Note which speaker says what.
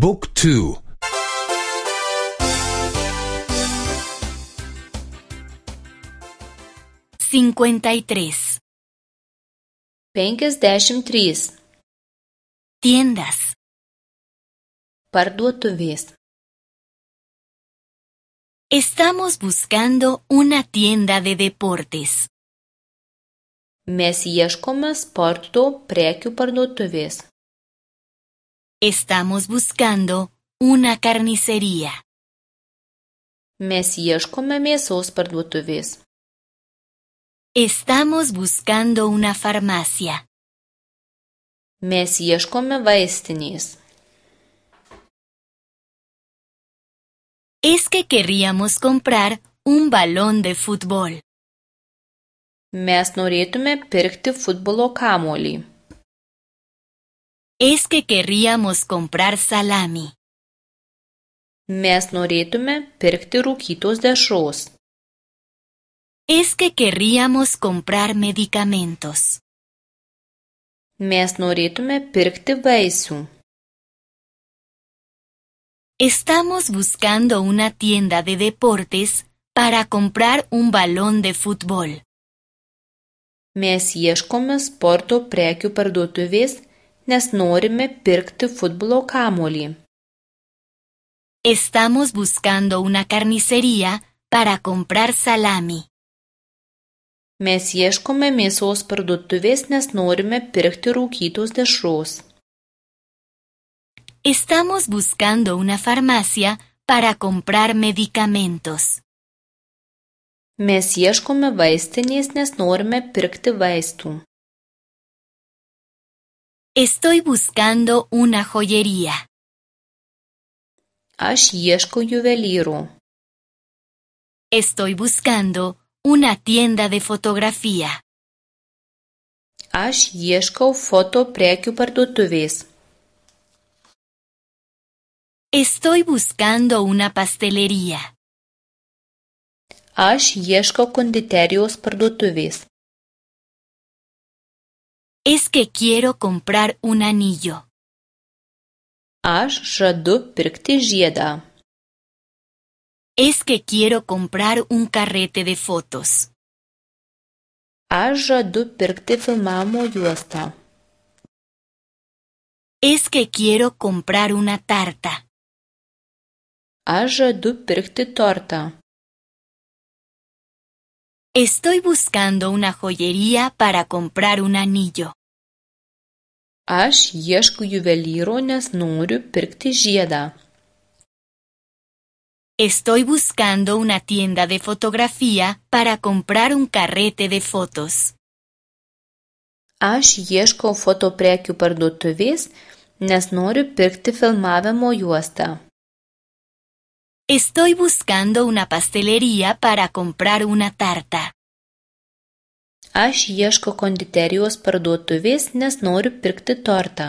Speaker 1: บุ๊กทู
Speaker 2: 53 Tiendas
Speaker 3: Parduotuvės.
Speaker 2: Estamos buscando una tienda de deportes.
Speaker 3: Mes ieškome sporto prekių parduotuvės.
Speaker 2: Estamos buscando una carnicería.
Speaker 3: Mes ieškome mėsos parduotuvės.
Speaker 2: Estamos buscando una farmacia.
Speaker 3: Mes ieškome vaistinės.
Speaker 2: Es que querríamos comprar un balón de fútbol.
Speaker 3: Mes norėtume pirkti futbolo kamuolį.
Speaker 2: Es que querríamos comprar salami.
Speaker 3: Mes norėtume pirkti rūkytos dešros.
Speaker 2: Es que querríamos comprar medicamentos.
Speaker 3: Mes norėtume pirkti vaisių.
Speaker 2: Estamos buscando una tienda de deportes para comprar un balón de fútbol.
Speaker 3: Mes ieškome sporto prekių parduotuvės, nes norime pirkti futbolo kamuolį.
Speaker 2: Estamos buscando una carnicería para comprar salami.
Speaker 3: Mes ieškome mėsos parduotuvės, nes norime pirkti rūkytos dešros.
Speaker 2: Estamos buscando una farmacia para comprar medicamentos.
Speaker 3: Mes ieškome vaistinės, nes norime pirkti vaistų.
Speaker 2: Estoy buscando una joyería.
Speaker 3: Aš ieškau juvelyro.
Speaker 2: Estoy buscando una tienda de fotografía.
Speaker 3: Aš ieškau foto prekių parduotuvės.
Speaker 2: Estoy buscando una pastelería.
Speaker 3: Aš ieškau konditerijos parduotuvės.
Speaker 2: Es que quiero comprar un anillo.
Speaker 3: Aš žadu pirkti žiedą.
Speaker 2: Es que quiero comprar un carrete de fotos.
Speaker 3: Aš žadu pirkti filmavimo juostą.
Speaker 2: Es que quiero comprar una tarta.
Speaker 3: Aš žadu pirkti tortą.
Speaker 2: Estoy buscando una joyería para comprar un anillo.
Speaker 3: Aš ieškau juvelyro, nes noriu pirkti žiedą.
Speaker 2: Estoy buscando una tienda de fotografía para comprar un carrete de fotos.
Speaker 3: Aš ieškau foto prekių parduotuvės, nes noriu pirkti filmavimo juostą.
Speaker 2: Estoy buscando una pastelería para comprar una tarta.
Speaker 3: Aš ieškau konditerijos parduotuvės, nes noriu pirkti tortą.